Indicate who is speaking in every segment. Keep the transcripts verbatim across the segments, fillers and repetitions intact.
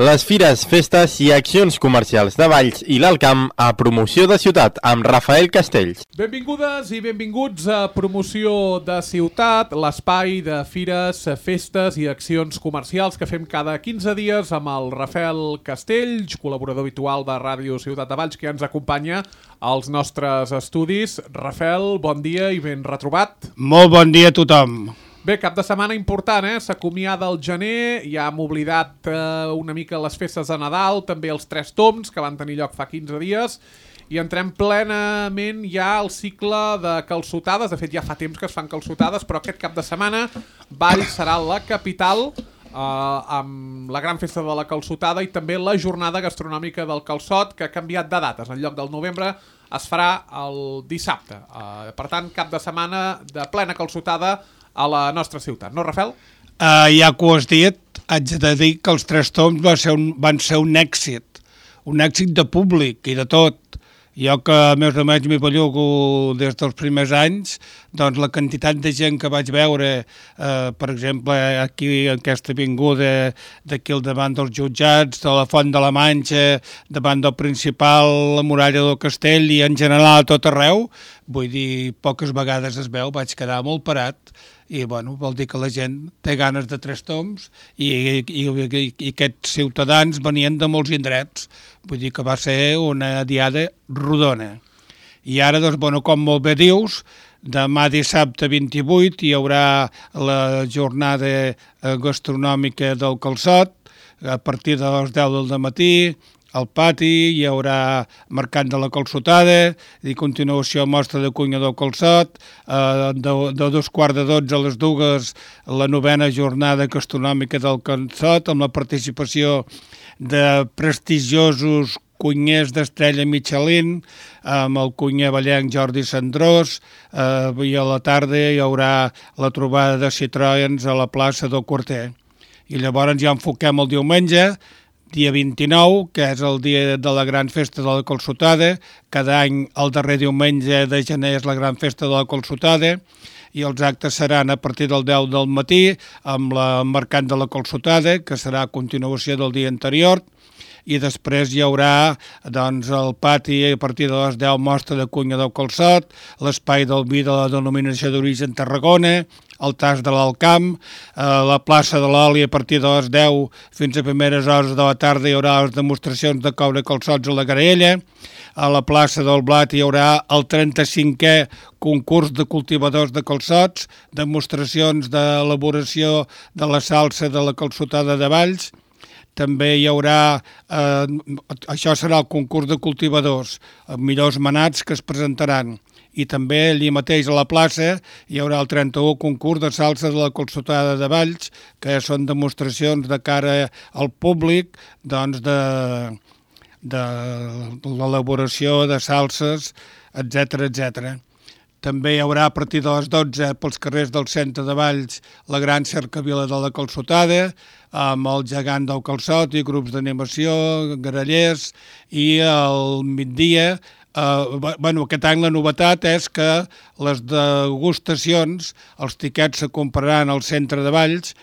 Speaker 1: Les fires, festes i accions comercials de Valls i l'Alt Camp a Promoció de Ciutat amb Rafael Castells.
Speaker 2: Benvingudes i benvinguts a Promoció de Ciutat, l'espai de fires, festes i accions comercials que fem cada quinze dies amb el Rafael Castells, col·laborador habitual de Ràdio Ciutat de Valls, que ens acompanya als nostres estudis. Rafael, bon dia i ben retrobat.
Speaker 3: Molt bon dia a tothom.
Speaker 2: Bé, cap de setmana important, eh? S'acomiada el gener, ja hem oblidat eh, una mica les festes de Nadal, també els Tres Tombs, que van tenir lloc fa quinze dies, i entrem plenament ja al cicle de calçotades. De fet, ja fa temps que es fan calçotades, però aquest cap de setmana Valls serà la capital eh, amb la gran festa de la calçotada i també la jornada gastronòmica del calçot, que ha canviat de dates. En lloc del novembre es farà el dissabte. Eh, per tant, cap de setmana de plena calçotada a la nostra ciutat, no, Rafael?
Speaker 3: Uh, ja que ho has dit, haig de dir que els Tres Tombs va ser un, van ser un èxit, un èxit de públic i de tot. Jo que més o menys m'hi bellugo des dels primers anys, doncs la quantitat de gent que vaig veure, eh, per exemple, aquí en aquesta avinguda d'aquí al davant dels jutjats, de la Font de la Manxa, davant del principal, la muralla del castell i en general a tot arreu, vull dir, poques vegades es veu, vaig quedar molt parat. I bueno, vol dir que la gent té ganes de Tres Tombs i, i, i, i aquests ciutadans venien de molts indrets. Vull dir que va ser una diada rodona. I ara, doncs, bueno, com molt bé dius, demà dissabte vint-i-vuit hi haurà la jornada gastronòmica del calçot a partir de les deu del matí. Al pati hi haurà mercat de la calçotada i continuació mostra de cuina del calçot, eh, de, de dos quarts de dotze a les dues la novena jornada gastronòmica del calçot amb la participació de prestigiosos cuiners d'estrella Michelin, amb el cuiner ballenc Jordi Sandrós, eh, i a la tarda hi haurà la trobada de Citroëns a la plaça del Quarter. I llavors ja enfoquem el diumenge, dia vint-i-nou, que és el dia de la gran festa de la calçotada. Cada any, el darrer diumenge de gener és la gran festa de la calçotada i els actes seran a partir del deu del matí amb el mercat de la calçotada, que serà a continuació del dia anterior, i després hi haurà doncs, el pati a partir de les deu mostra de cuina del calçot, l'espai del vi de la denominació d'origen Tarragona, el tas de l'Alt Camp, eh, la plaça de l'oli a partir de les deu fins a primeres hores de la tarda hi haurà les demostracions de coure calçots a la Garella, a la plaça del Blat hi haurà el trenta-cinquè concurs de cultivadors de calçots, demostracions d'elaboració de la salsa de la calçotada de Valls. També hi haurà, eh, això serà el concurs de cultivadors, els millors manats que es presentaran. I també allí mateix a la plaça hi haurà el trenta-u concurs de salsa de la calçotada de Valls, que són demostracions de cara al públic doncs de, de l'elaboració de salses, etcètera, etcètera. També hi haurà a partir de les dotze pels carrers del centre de Valls la gran cercavila de la calçotada, amb el gegant del calçot i grups d'animació, grallers, i al migdia, eh, bueno, aquest any la novetat és que les degustacions, els tiquets se compraran al centre de Valls,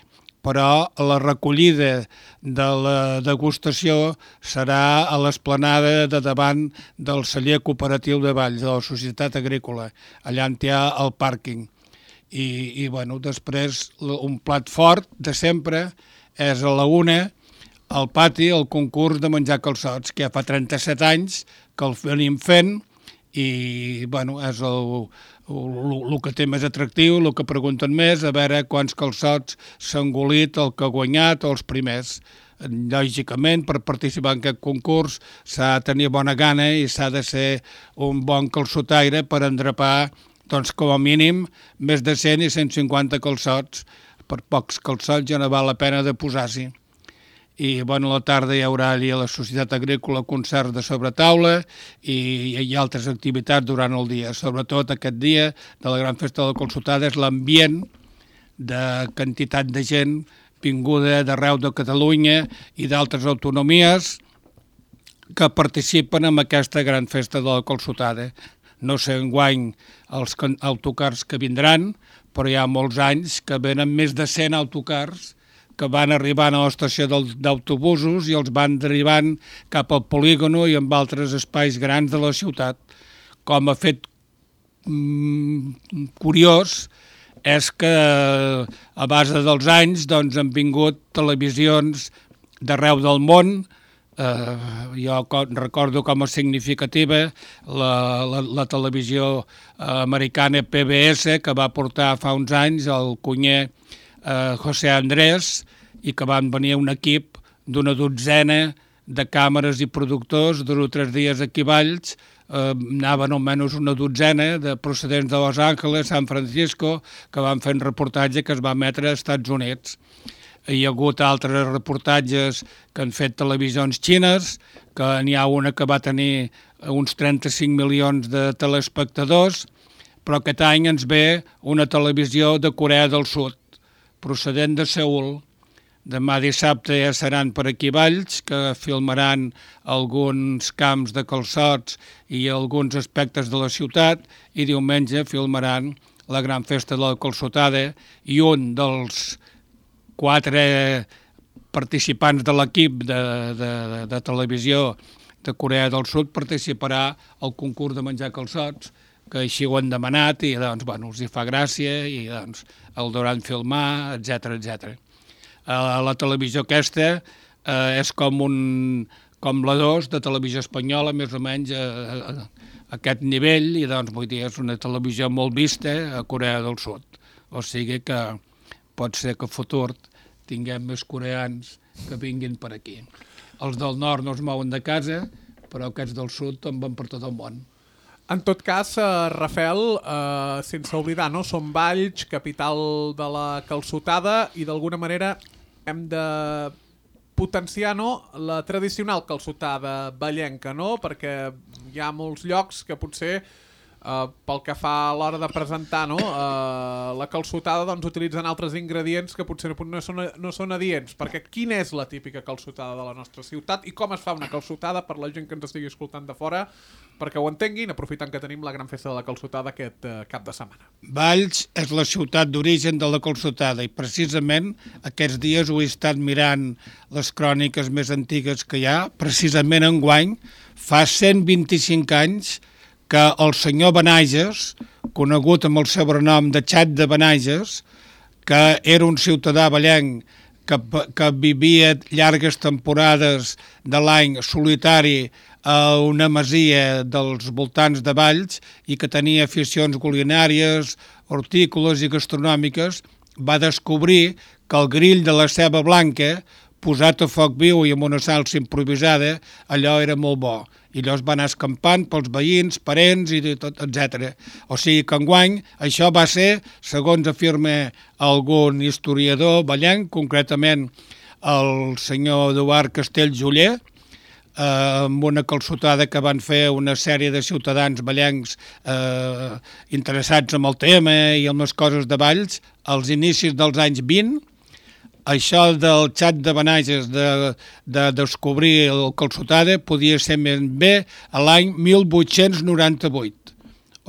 Speaker 3: però la recollida de la degustació serà a l'esplanada de davant del celler cooperatiu de Valls, de la Societat Agrícola, allà on hi ha el pàrquing. I, i bueno, després un plat fort de sempre és a la una, al pati, el concurs de menjar calçots, que ja fa trenta-set anys que el venim fent i bueno, és el, el, el que té més atractiu, el que pregunten més, a veure quants calçots s'ha engolit el que ha guanyat o els primers. Lògicament, per participar en aquest concurs s'ha de tenir bona gana i s'ha de ser un bon calçotaire per endrapar, doncs, com a mínim, més de cent i cent cinquanta calçots. Per pocs calçots ja no val la pena de posar-s'hi. I bueno, a la tarda hi haurà allà a la Societat Agrícola concerts de sobretaula i hi ha altres activitats durant el dia. Sobretot aquest dia de la gran festa de la calçotada és l'ambient de quantitat de gent vinguda d'arreu de Catalunya i d'altres autonomies que participen en aquesta gran festa de la calçotada. No sé enguany els autocars que vindran, però hi ha molts anys que venen més de cent autocars que van arribant a l'estació d'autobusos i els van derivant cap al polígono i amb altres espais grans de la ciutat. Com a fet mm, curiós és que a base dels anys doncs, han vingut televisions d'arreu del món. Eh, jo recordo com a significativa la, la, la televisió americana P B S, que va portar fa uns anys el cunyer eh, José Andrés, i que van venir un equip d'una dotzena de càmeres i productors, dos o tres dies aquí a Valls, eh, anaven almenys una dotzena de procedents de Los Angeles, San Francisco, que van fer un reportatge que es va emetre als Estats Units. Hi ha hagut altres reportatges que han fet televisions xines, que n'hi ha una que va tenir uns trenta-cinc milions de telespectadors, però aquest any ens ve una televisió de Corea del Sud, procedent de Seül. Demà dissabte ja seran per aquí Valls, que filmaran alguns camps de calçots i alguns aspectes de la ciutat, i diumenge filmaran la gran festa de la calçotada, i un dels quatre participants de l'equip de, de, de, de televisió de Corea del Sud participarà al concurs de menjar calçots, que així ho han demanat i doncs, bueno, els hi fa gràcia i doncs, el deuran filmar, etcètera etcètera. Uh, la televisió aquesta uh, és com, un, com la dos de televisió espanyola, més o menys a, a, a aquest nivell, i doncs vull dir, és una televisió molt vista a Corea del Sud. O sigui que pot ser que a futur tinguem més coreans que vinguin per aquí. Els del nord no es mouen de casa, però aquests del sud en van per tot el món.
Speaker 2: En tot cas, eh, Rafael, eh, sense oblidar, no? Som Valls, capital de la calçotada, i d'alguna manera hem de potenciar, no?, la tradicional calçotada vallenca, no?, perquè hi ha molts llocs que potser, eh, pel que fa a l'hora de presentar, no?, eh, la calçotada, doncs utilitzen altres ingredients que potser no són, no són adients, perquè quina és la típica calçotada de la nostra ciutat i com es fa una calçotada per la gent que ens estigui escoltant de fora, perquè ho entenguin, aprofitant que tenim la gran festa de la calçotada aquest eh, cap de setmana.
Speaker 3: Valls és la ciutat d'origen de la calçotada i precisament aquests dies ho he estat mirant les cròniques més antigues que hi ha. Precisament enguany fa cent vint-i-cinc anys que el senyor Benages, conegut amb el sobrenom de Xat de Benages, que era un ciutadà vallenc que, que vivia llargues temporades de l'any solitari a una masia dels voltants de Valls i que tenia aficions culinàries, hortícoles i gastronòmiques, va descobrir que el grill de la ceba blanca, posat a foc viu i amb una salsa improvisada, allò era molt bo. I llavors va anar escampant pels veïns, parents i tot, etcètera. O sigui que enguany això va ser, segons afirma algun historiador vallenc, concretament el senyor Eduard Castelljoller, eh, amb una calçotada que van fer una sèrie de ciutadans vallencs eh, interessats en el tema i en les coses de Valls, als inicis dels anys vint. Això del Xat de Benages de, de descobrir el calçotada podia ser més bé a l'any mil vuit-cents noranta-vuit.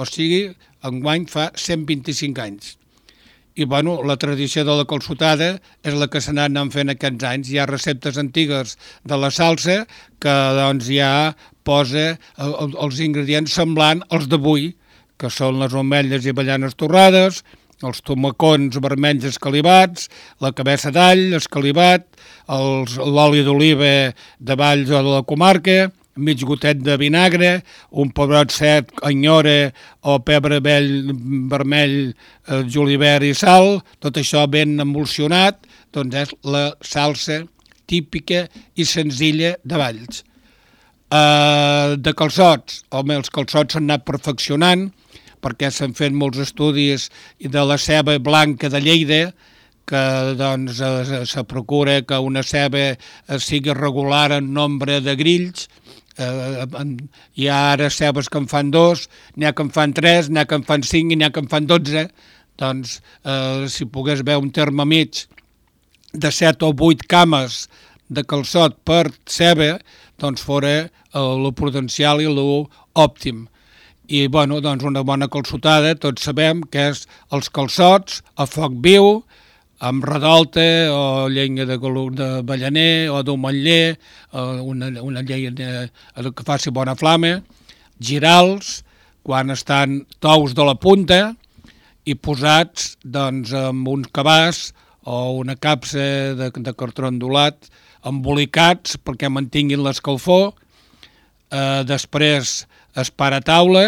Speaker 3: O sigui, enguany fa cent vint-i-cinc anys. I bueno, la tradició de la calçotada és la que s'ha anat fent aquests anys. Hi ha receptes antigues de la salsa que doncs, ja posa els ingredients semblant als d'avui, que són les ametlles i avellanes torrades, els tomacons vermells escalivats, la cabeça d'all escalivat, els, l'oli d'oliva de Valls o de la comarca, mig gotet de vinagre, un pebrot sec, anyora o pebre vell, vermell, eh, julivert i sal, tot això ben emulsionat, doncs és la salsa típica i senzilla de Valls. Eh, de calçots, home, els calçots s'han anat perfeccionant, perquè s'han fet molts estudis de la ceba blanca de Lleida, que doncs, se procura que una ceba sigui regular en nombre de grills. Eh, hi ha ara cebes que en fan dos, n'hi ha que en fan tres, n'hi ha que en fan cinc i n'hi ha que en fan dotze. Doncs, eh, si pogués haver un terme mig de set o vuit cames de calçot per ceba, doncs fora lo prudencial i lo òptim. I, bueno, doncs una bona calçotada, tots sabem que és els calçots a foc viu, amb redolta o llenya de, de ballaner o d'ometller, una, una llenya que faci bona flama, girals, quan estan tous de la punta i posats doncs, amb uns cabàs o una capsa de, de cartró ondulat, embolicats perquè mantinguin l'escalfor, eh, després es para a taula,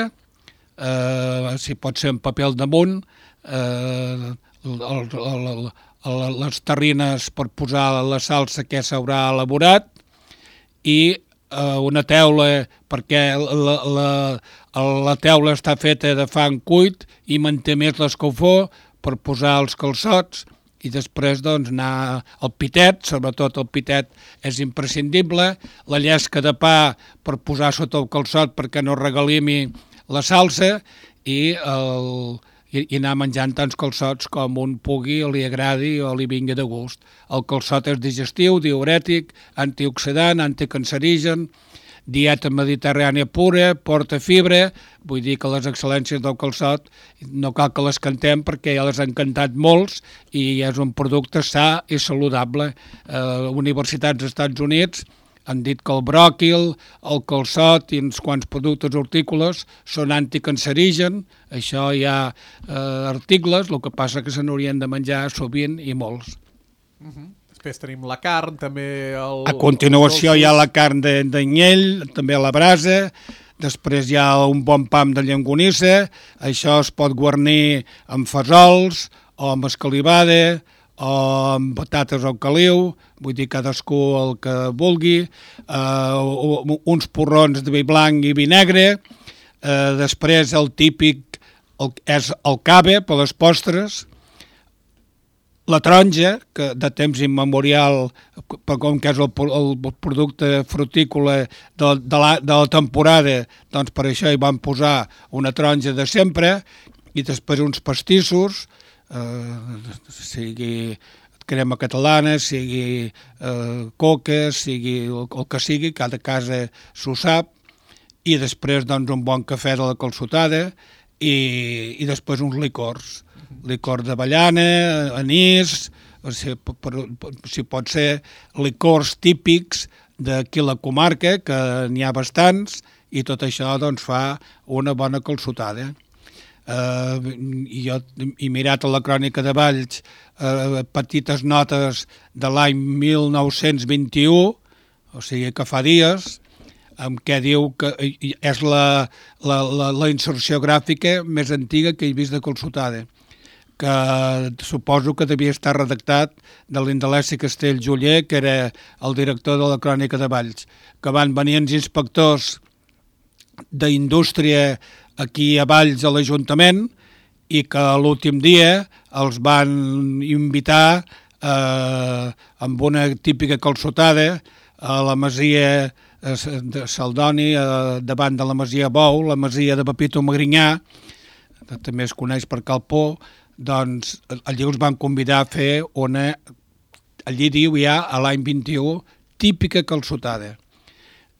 Speaker 3: eh, si pot ser en paper al damunt, eh, el, el, el, el, les terrines per posar la salsa que s'haurà elaborat i eh, una teula, perquè la, la, la teula està feta de fang cuit i manté més l'escalfor per posar els calçots i després doncs, anar al pitet, sobretot el pitet és imprescindible, la llesca de pa per posar sota el calçot perquè no regalimi la salsa i el... i anar menjant tants calçots com un pugui o li agradi o li vingui de gust. El calçot és digestiu, diurètic, antioxidant, anticancerigen, dieta mediterrània pura, porta fibra, vull dir que les excel·lències del calçot no cal que les cantem perquè ja les han cantat molts i és un producte sa i saludable. Eh, universitats dels Estats Units han dit que el bròquil, el calçot i uns quants productes hortícoles són anticancerigen, això hi ha eh, articles, el que passa que se n'haurien de menjar sovint i molts.
Speaker 2: Uh-huh. Després tenim la carn, també... El,
Speaker 3: a continuació hi ha la carn d'anyell, també a la brasa, després hi ha un bon pam de llonganissa, això es pot guarnir amb fesols o amb escalivada, o amb patates al caliu, vull dir cadascú el que vulgui, eh, uns porrons de vi blanc i vi negre, eh, després el típic el, és el cave per les postres, la taronja, que de temps immemorial, com que és el, el producte frutícola de, de, la, de la temporada, doncs per això hi van posar una taronja de sempre, i després uns pastissos, Uh, sigui crema catalana, sigui uh, coca, sigui el, el que sigui, cada casa s'ho sap, i després doncs, un bon cafè de la calçotada i, i després uns licors, licor d'avellana, anís, o sigui, per, per, si pot ser licors típics d'aquí la comarca, que n'hi ha bastants, i tot això doncs, fa una bona calçotada. Uh, i jo he mirat a la crònica de Valls uh, petites notes de l'any mil nou-cents vint-i-u, o sigui que fa dies, en què diu que és la, la, la, la inserció gràfica més antiga que he vist de calçotada, que suposo que devia estar redactat de l'Indelesi Castell Joller, que era el director de la crònica de Valls, que van venir els inspectors d'indústria aquí a Valls a l'Ajuntament i que l'últim dia els van invitar eh, amb una típica calçotada a la masia de Saldoni, eh, davant de la masia Bou, la masia de Pepito Magrinyà, que també es coneix per Calpó, doncs allí els van convidar a fer una, allí diu ja a l'any vint-i-u, típica calçotada.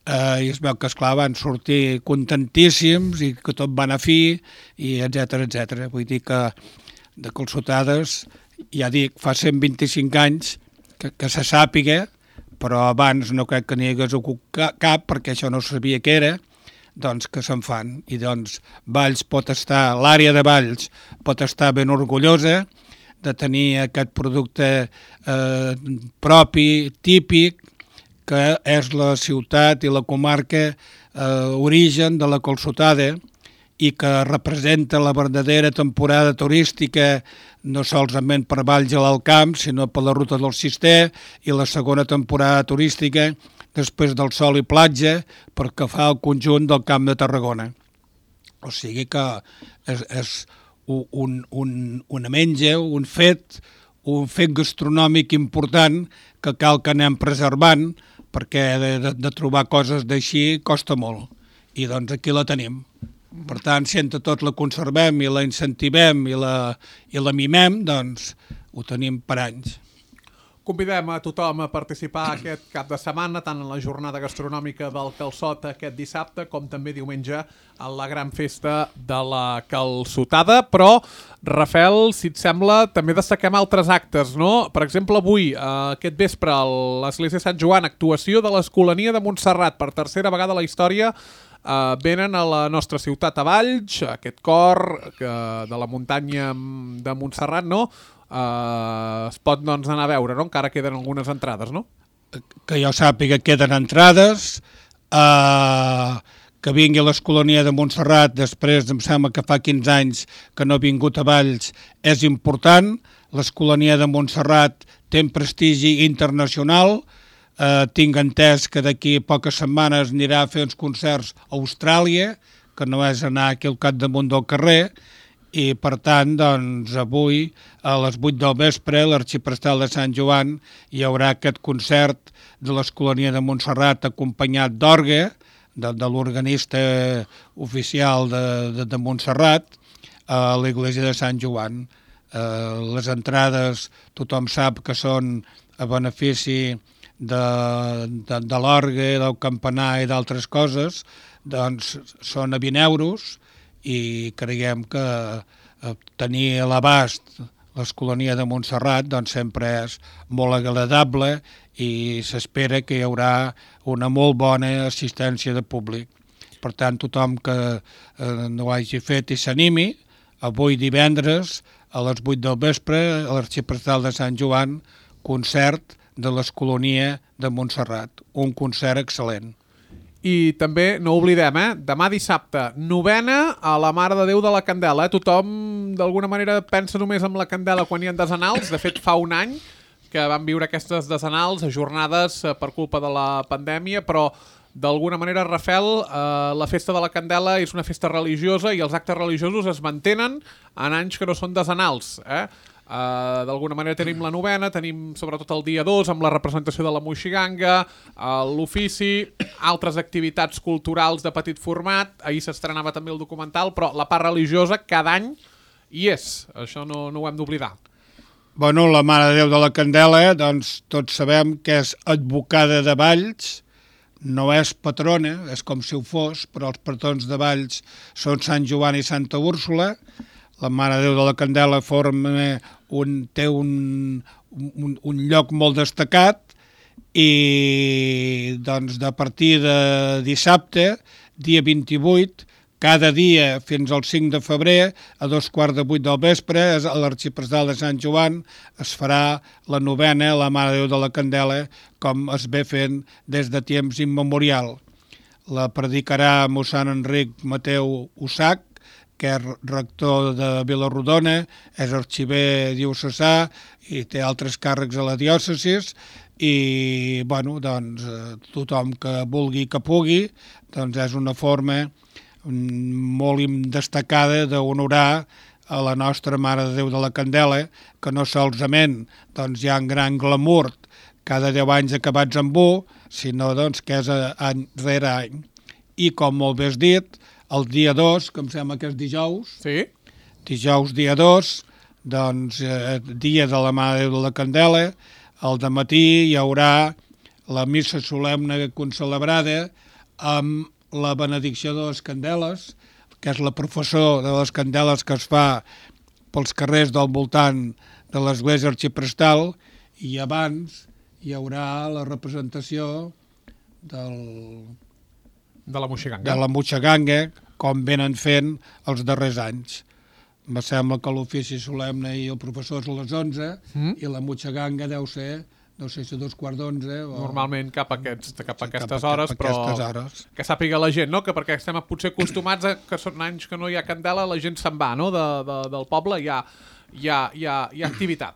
Speaker 3: Uh, i es veu que, esclar, van sortir contentíssims i que tot va anar fi, i etcètera, etcètera. Vull dir que de calçotades, ja dic, fa cent vint-i-cinc anys que, que se sàpiga, però abans no crec que n'hi hagués hagut cap, perquè això no sabia què era, doncs que se'n fan. I doncs Valls pot estar, l'àrea de Valls pot estar ben orgullosa de tenir aquest producte eh, propi, típic, que és la ciutat i la comarca eh, origen de la calçotada i que representa la verdadera temporada turística no solament per Valls a l'Alt Camp, sinó per la ruta del Cister i la segona temporada turística després del Sol i Platja perquè fa el conjunt del Camp de Tarragona. O sigui que és, és un, un, una menja, un fet, un fet gastronòmic important que cal que anem preservant, perquè de, de, de trobar coses d'així costa molt, i doncs aquí la tenim. Per tant, si entre tots la conservem i la incentivem i la, i la mimem, doncs ho tenim per anys.
Speaker 2: Convidem a tothom a participar aquest cap de setmana, tant en la jornada gastronòmica del Calçot aquest dissabte, com també diumenge a la gran festa de la Calçotada. Però, Rafael, si et sembla, també destaquem altres actes, no? Per exemple, avui, eh, aquest vespre, a l'Església de Sant Joan, actuació de l'Escolania de Montserrat. Per tercera vegada a la història eh, venen a la nostra ciutat a Valls, aquest cor que, de la muntanya de Montserrat, no? Uh, es pot doncs, anar a veure, no? Encara queden algunes entrades, no?
Speaker 3: Que jo sàpiga, queden entrades, uh, que vingui a l'Escolania de Montserrat, després em sembla que fa quinze anys que no ha vingut a Valls, és important. L'Escolania de Montserrat té un prestigi internacional, uh, tinc entès que d'aquí a poques setmanes anirà a fer uns concerts a Austràlia, que no és anar aquí al capdamunt del carrer, i per tant, doncs, avui a les vuit del vespre a l'Arxiprestal de Sant Joan hi haurà aquest concert de l'Escolania de Montserrat acompanyat d'orgue, de, de l'organista oficial de, de, de Montserrat, a l'Església de Sant Joan. Eh, les entrades tothom sap que són a benefici de, de, de l'orgue, del campanar i d'altres coses, doncs són a vint euros, i creiem que tenir a l'abast l'Escolania de Montserrat doncs sempre és molt agradable i s'espera que hi haurà una molt bona assistència de públic. Per tant, tothom que eh, no ho hagi fet i s'animi, avui divendres a les vuit del vespre a l'Arxiprestal de Sant Joan, concert de l'Escolania de Montserrat, un concert excel·lent.
Speaker 2: I també, no oblidem, eh? Demà dissabte, novena a la Mare de Déu de la Candela. Eh? Tothom, d'alguna manera, pensa només en la Candela quan hi ha desenals. De fet, fa un any que van viure aquestes desenals, ajornades per culpa de la pandèmia, però d'alguna manera, Rafael, eh, la festa de la Candela és una festa religiosa i els actes religiosos es mantenen en anys que no són desenals, eh? Uh, d'alguna manera tenim la novena, tenim sobretot el dia dos amb la representació de la Moixiganga, uh, l'ofici, altres activitats culturals de petit format. Ahir s'estrenava també el documental, però la part religiosa cada any hi és, això no, no ho hem d'oblidar.
Speaker 3: Bueno, la Mare de Déu de la Candela, doncs tots sabem que és advocada de Valls, no és patrona, és com si ho fos, però els patrons de Valls són Sant Joan i Santa Úrsula. La Mare de Déu de la Candela forma un, té un, un, un lloc molt destacat i doncs a partir de dissabte, dia vint-i-vuit, cada dia fins al cinc de febrer, a dos quarts de vuit del vespre, a l'Arxiprestal de Sant Joan es farà la novena a la Mare de Déu de la Candela, com es ve fent des de temps immemorial. La predicarà mossèn Enric Mateu Usach, que és rector de Vilarrodona, és arxiver diocesà i té altres càrrecs a la diòcesis i, bueno, doncs, tothom que vulgui que pugui, doncs és una forma molt destacada d'honorar a la nostra Mare de Déu de la Candela, que no solament doncs, hi ha un gran glamour cada deu anys acabats amb u, sinó doncs, que és any rere any. I, com molt bé has dit, el dia dos, que em sembla que és dijous,
Speaker 2: sí.
Speaker 3: dijous dia dos, doncs eh, dia de la Mare de Déu de la Candela, al dematí hi haurà la missa solemne concelebrada amb la benedicció de les candeles, que és la professó de les candeles que es fa pels carrers del voltant de l'església arxiprestal, i abans hi haurà la representació del...
Speaker 2: de la Moixiganga.
Speaker 3: de la Moixiganga, com venen fent els darrers anys. Me sembla que l'ofici solemne i el professor és a les onze, mm. i la Moixiganga deu ser, no sé si dos quarts d'onze... O...
Speaker 2: Normalment cap a, aquests, cap a
Speaker 3: sí,
Speaker 2: aquestes
Speaker 3: cap a,
Speaker 2: hores,
Speaker 3: cap a
Speaker 2: però
Speaker 3: aquestes hores.
Speaker 2: Que sàpiga la gent, no? Que perquè estem potser acostumats a que són anys que no hi ha candela, la gent se'n va, no? De, de, del poble hi ha, hi ha, hi ha, hi ha activitat.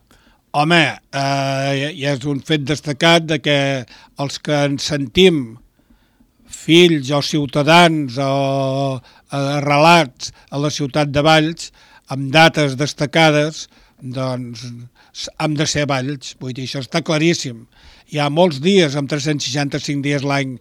Speaker 3: Home, eh, ja és un fet destacat de que els que ens sentim fills o ciutadans o arrelats a la ciutat de Valls, amb dates destacades, doncs hem de ser Valls. Vull dir, això està claríssim. Hi ha molts dies, amb tres-cents seixanta-cinc dies l'any,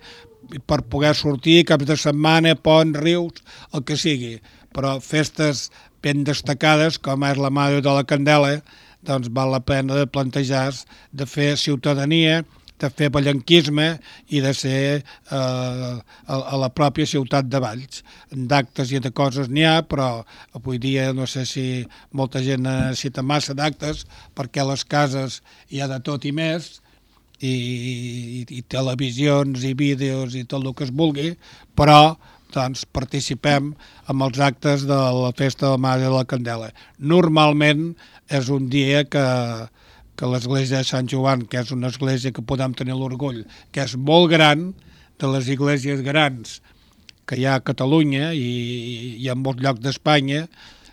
Speaker 3: per poder sortir, caps de setmana, pont, rius, el que sigui. Però festes ben destacades, com és la Mare de la Candela, doncs val la pena de plantejar de fer ciutadania, de fer ballenquisme i de ser eh, a, a la pròpia ciutat de Valls. D'actes i de coses n'hi ha, però avui dia no sé si molta gent necessita massa d'actes perquè a les cases hi ha de tot i més, i, i, i televisions i vídeos i tot el que es vulgui, però doncs, participem en els actes de la festa de la Mare de la Candela. Normalment és un dia que que l'església de Sant Joan, que és una església que podem tenir l'orgull, que és molt gran, de les esglésies grans que hi ha a Catalunya i, i en molts llocs d'Espanya,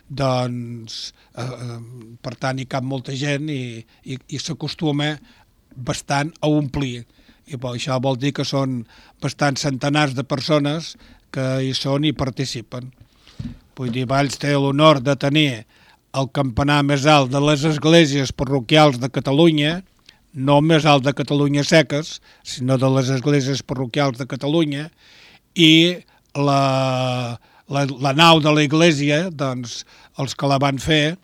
Speaker 3: doncs, eh, per tant, hi cap molta gent i, i, i s'acostuma bastant a omplir. I bo, això vol dir que són bastants centenars de persones que hi són i participen. Vull dir, Valls té l'honor de tenir el campanar més alt de les esglésies parroquials de Catalunya, no més alt de Catalunya seques, sinó de les esglésies parroquials de Catalunya, i la, la, la nau de la església, doncs, els que la van fer,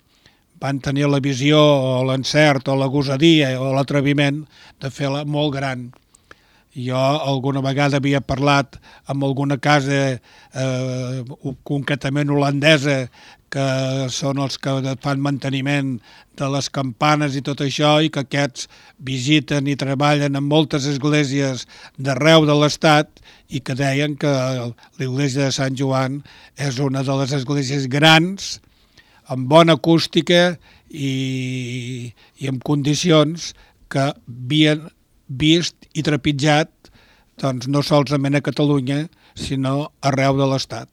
Speaker 3: van tenir la visió o l'encert o la gosadia o l'atreviment de fer-la molt gran. Jo alguna vegada havia parlat amb alguna casa eh, concretament holandesa que són els que fan manteniment de les campanes i tot això i que aquests visiten i treballen en moltes esglésies d'arreu de l'Estat i que deien que l'església de Sant Joan és una de les esglésies grans, amb bona acústica i, i amb condicions que havien vist i trepitjat doncs, no solament a Catalunya, sinó arreu de l'Estat.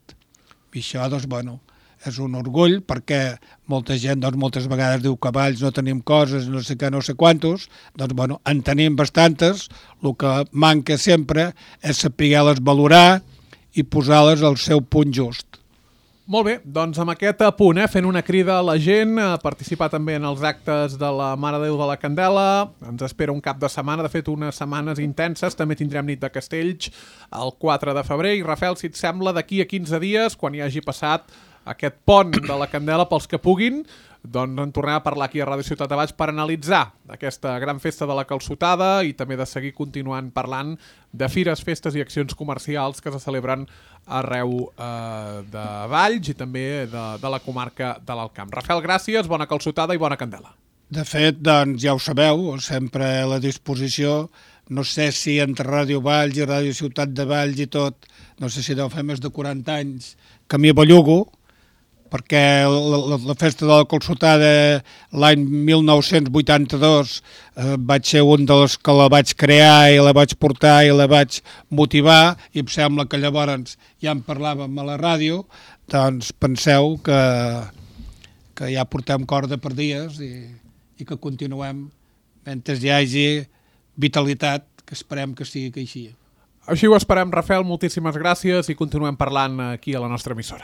Speaker 3: I això, doncs, bueno, és un orgull perquè molta gent doncs, moltes vegades diu que a Valls no tenim coses, no sé què, no sé quantos, doncs bueno, en tenim bastantes, el que manca sempre és saber-les valorar i posar-les al seu punt just.
Speaker 2: Molt bé, doncs amb aquest punt, eh, fent una crida a la gent a participar també en els actes de la Mare de Déu de la Candela. Ens espera un cap de setmana, de fet unes setmanes intenses, també tindrem nit de castells el quatre de febrer. I Rafael, si et sembla, d'aquí a quinze dies, quan hi hagi passat aquest pont de la Candela pels que puguin, doncs en tornem a parlar aquí a Ràdio Ciutat de Valls per analitzar aquesta gran festa de la calçotada i també de seguir continuant parlant de fires, festes i accions comercials que se celebren arreu eh, de Valls i també de, de la comarca de l'Alt Camp. Rafael, gràcies, bona calçotada i bona candela.
Speaker 3: De fet, doncs ja ho sabeu, sempre a la disposició. No sé si entre Ràdio Valls i Ràdio Ciutat de Valls i tot, no sé si deu fer més de quaranta anys que m'hi bellugo, perquè la, la, la festa de la calçotada l'any mil nou-cents vuitanta-dos eh, vaig ser un dels que la vaig crear i la vaig portar i la vaig motivar i em sembla que llavors ja en parlàvem a la ràdio, doncs penseu que, que ja portem corda per dies i, i que continuem mentre hi hagi vitalitat, que esperem que sigui que així.
Speaker 2: Així ho esperem, Rafael, moltíssimes gràcies i continuem parlant aquí a la nostra emissora.